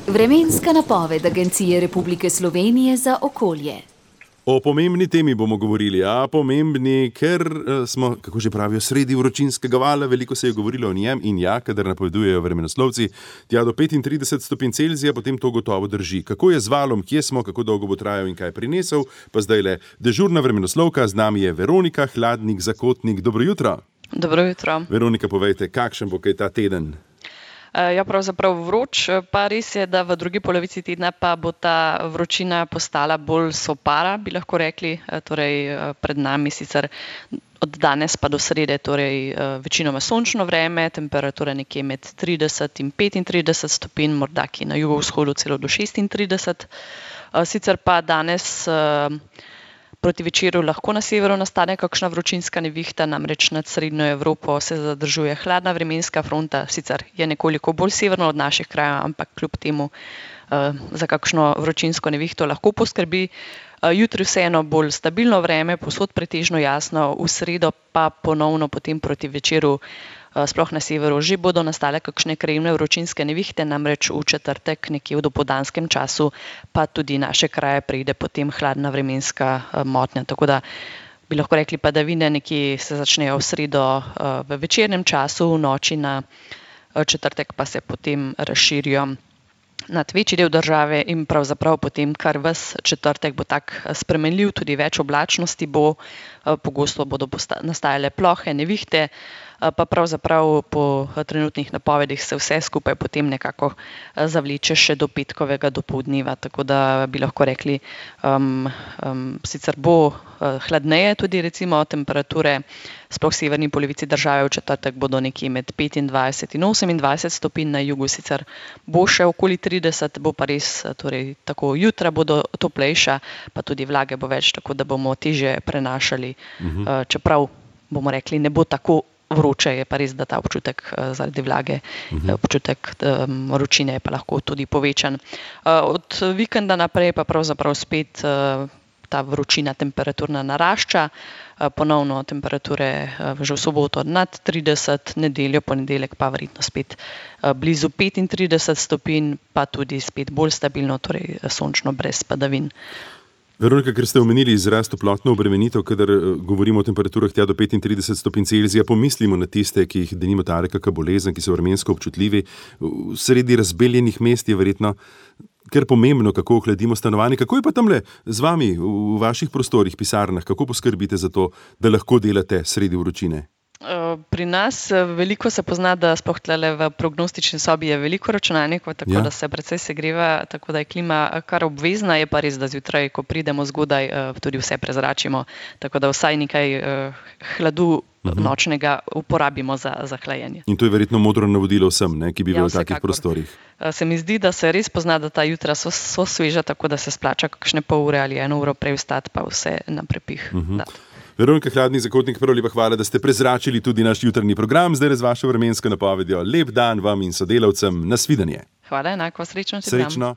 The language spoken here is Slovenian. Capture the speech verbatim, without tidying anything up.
Vremenska napoved Agencije Republike Slovenije za okolje. O pomembni temi bomo govorili, a pomembni, ker smo, kako že pravijo, sredi vročinskega vala, veliko se je govorilo o njem in ja, kadar napovedujejo vremenoslovci, tja do petintrideset stopinj Celzija, potem to gotovo drži. Kako je z valom, kje smo, kako dolgo bo trajal in kaj prinesel, pa zdaj le dežurna vremenoslovka, z nami je Veronika Hladnik-Zakotnik. Dobro jutro. Dobro jutro. Veronika, povejte, kakšen bo kaj ta teden? Ja, pravzaprav vroč, pa res je, da v drugi polovici tedna pa bo ta vročina postala bolj sopara, bi lahko rekli, torej pred nami sicer od danes pa do srede, torej večinoma sončno vreme, temperatura nekje med trideset in petintrideset stopinj, morda ki na jugovzhodu celo do šestintrideset. Sicer pa danes proti večeru lahko na severu nastane kakšna vročinska nevihta, namreč nad srednjo Evropo se zadržuje hladna vremenska fronta, sicer je nekoliko bolj severno od naših krajev, ampak kljub temu za kakšno vročinsko nevihto lahko poskrbi. Jutri vseeno bolj stabilno vreme, povsod pretežno jasno, v sredo pa ponovno potem proti večeru, sploh na severu, že bodo nastale kakšne krajevne vročinske nevihte, namreč v četrtek nekje v dopoldanskem času pa tudi naše kraje pride potem hladna vremenska motnja. Tako da bi lahko rekli padavine nekje se začnejo v sredo v večernem času, v noči na četrtek pa se potem razširijo nad večji del države in pravzaprav potem kar ves četrtek bo tak spremenljiv, tudi več oblačnosti bo, pogosto bodo nastajale plohe, nevihte, pa pravzaprav po trenutnih napovedih se vse skupaj potem nekako zavleče še do petkovega dopoldneva, tako da bi lahko rekli, um, um, sicer bo hladneje tudi recimo temperature, sploh v severni polovici države v četrtek bodo nekje med petindvajset in osemindvajset stopinj, na jugu sicer bo še okoli trideset, bo pa res, torej tako jutra bodo toplejša, pa tudi vlage bo več, tako da bomo težje prenašali, uh-huh. čeprav bomo rekli, ne bo tako vroče, je pa res, da ta občutek zaradi vlage, uh-huh. občutek um, vročine je pa lahko tudi povečan. Uh, od vikenda naprej pa pravzaprav spet uh, ta vročina temperaturna narašča, uh, ponovno temperature uh, že v soboto nad trideset, nedeljo, ponedeljek pa verjetno spet uh, blizu petintrideset stopinj, pa tudi spet bolj stabilno, torej sončno brez padavin. Veronika, ker ste omenili izraz toplotno obremenitev, kadar govorimo o temperaturah tja do petintrideset stopinj Celzija, pomislimo na tiste, ki jih denimo tare kakšna bolezen, ki so vremensko občutljivi. Sredi razbeljenih mest je verjetno kar pomembno, kako ohladimo stanovanje. Kako je pa tamle z vami v vaših prostorih, pisarnah? Kako poskrbite za to, da lahko delate sredi vročine? Pri nas veliko se pozna, da sploh tlele v prognostični sobi je veliko računalnikov, tako ja. da se precej segreva, tako da je klima kar obvezna, je pa res, da zjutraj, ko pridemo zgodaj, tudi vse prezračimo, tako da vsaj nekaj hladu uh-huh. nočnega uporabimo za, za hlajenje. In to je verjetno modro navodilo vsem, ne, ki bivajo ja, v takih prostorih. Se mi zdi, da se res pozna, da ta jutra so, so sveža, tako da se splača kakšne pol ure ali eno uro prej vstati, pa vse na prepih. Uh-huh. Veronika Hladnik-Zakotnik, prav lepa hvala, da ste prezračili tudi naš jutrni program, zdaj z vašo vremensko napovedjo. Lep dan vam in sodelavcem, nasvidenje. Hvala, enako, srečno. Srečno.